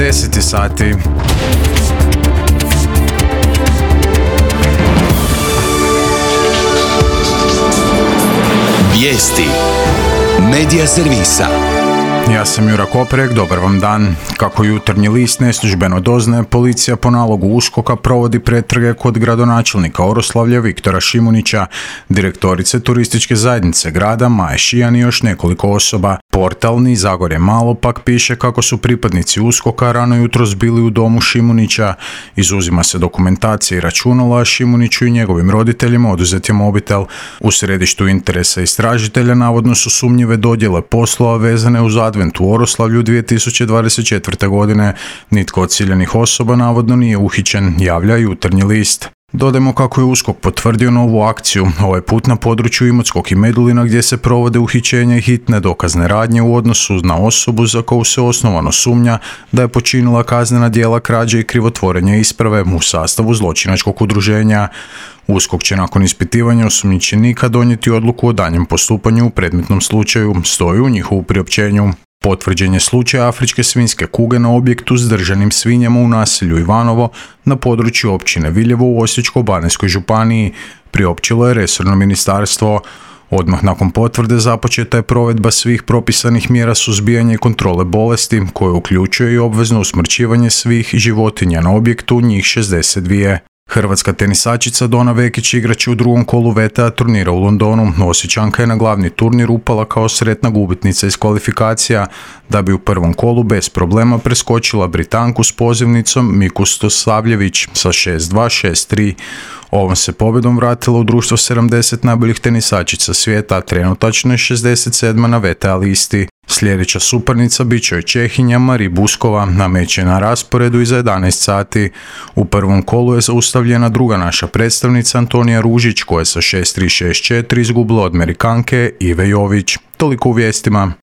10 sati. Vijesti Medija servisa. Ja sam Jura Koprek, dobar vam dan. Kako Jutarnji list neslužbeno doznaje, policija po nalogu USKOK-a provodi pretrage kod gradonačelnika Oroslavlja Viktora Šimunića, direktorice turističke zajednice grada Maje Šijan i još nekoliko osoba. Portal Ni Zagorje Malo pak piše kako su pripadnici USKOK-a rano jutros bili u domu Šimunića. Izuzima se dokumentacija i računala, a Šimuniću i njegovim roditeljima oduzet je mobitel. U središtu interesa istražitelja navodno su sumnjive dodjele poslova vezane uz Advent u Oroslavlju 2024. godine. Nitko od ciljanih osoba navodno nije uhićen, javlja Jutarnji list. Dodajmo kako je USKOK potvrdio novu akciju, ovaj put na području Imotskog i Medulina, gdje se provode uhićenja i hitne dokazne radnje u odnosu na osobu za koju se osnovano sumnja da je počinila kaznena djela krađe i krivotvorenja isprave u sastavu zločinačkog udruženja. USKOK će nakon ispitivanja osumnjičenika donijeti odluku o daljnjem postupanju u predmetnom slučaju, stoji u njihovu priopćenju. Potvrđen je slučaj afričke svinjske kuge na objektu s držanim svinjama u naselju Ivanovo na području općine Viljevo u Osječko-baranjskoj županiji, priopćilo je resorno ministarstvo. Odmah nakon potvrde započeta je provedba svih propisanih mjera suzbijanja i kontrole bolesti, koje uključuje i obvezno usmrćivanje svih životinja na objektu, njih 62. Hrvatska tenisačica Dona Vekić igrat će u drugom kolu VTA turnira u Londonu. Osječanka je na glavni turnir upala kao sretna gubitnica iz kvalifikacija, da bi u prvom kolu bez problema preskočila Britanku s pozivnicom Miku Stosavljević sa 6-2, 6-3. Ovom se pobjedom vratila u društvo 70 najboljih tenisačica svijeta, a trenutačno je 67. na VTA listi. Sljedeća suparnica bit će Čehinja Mari Buskova, na meč je na rasporedu i za 11 sati. U prvom kolu je zaustavljena druga naša predstavnica Antonija Ružić, koja je sa 6-3, 6-4 izgubila od Amerikanke Ive Jović. Toliko u vijestima.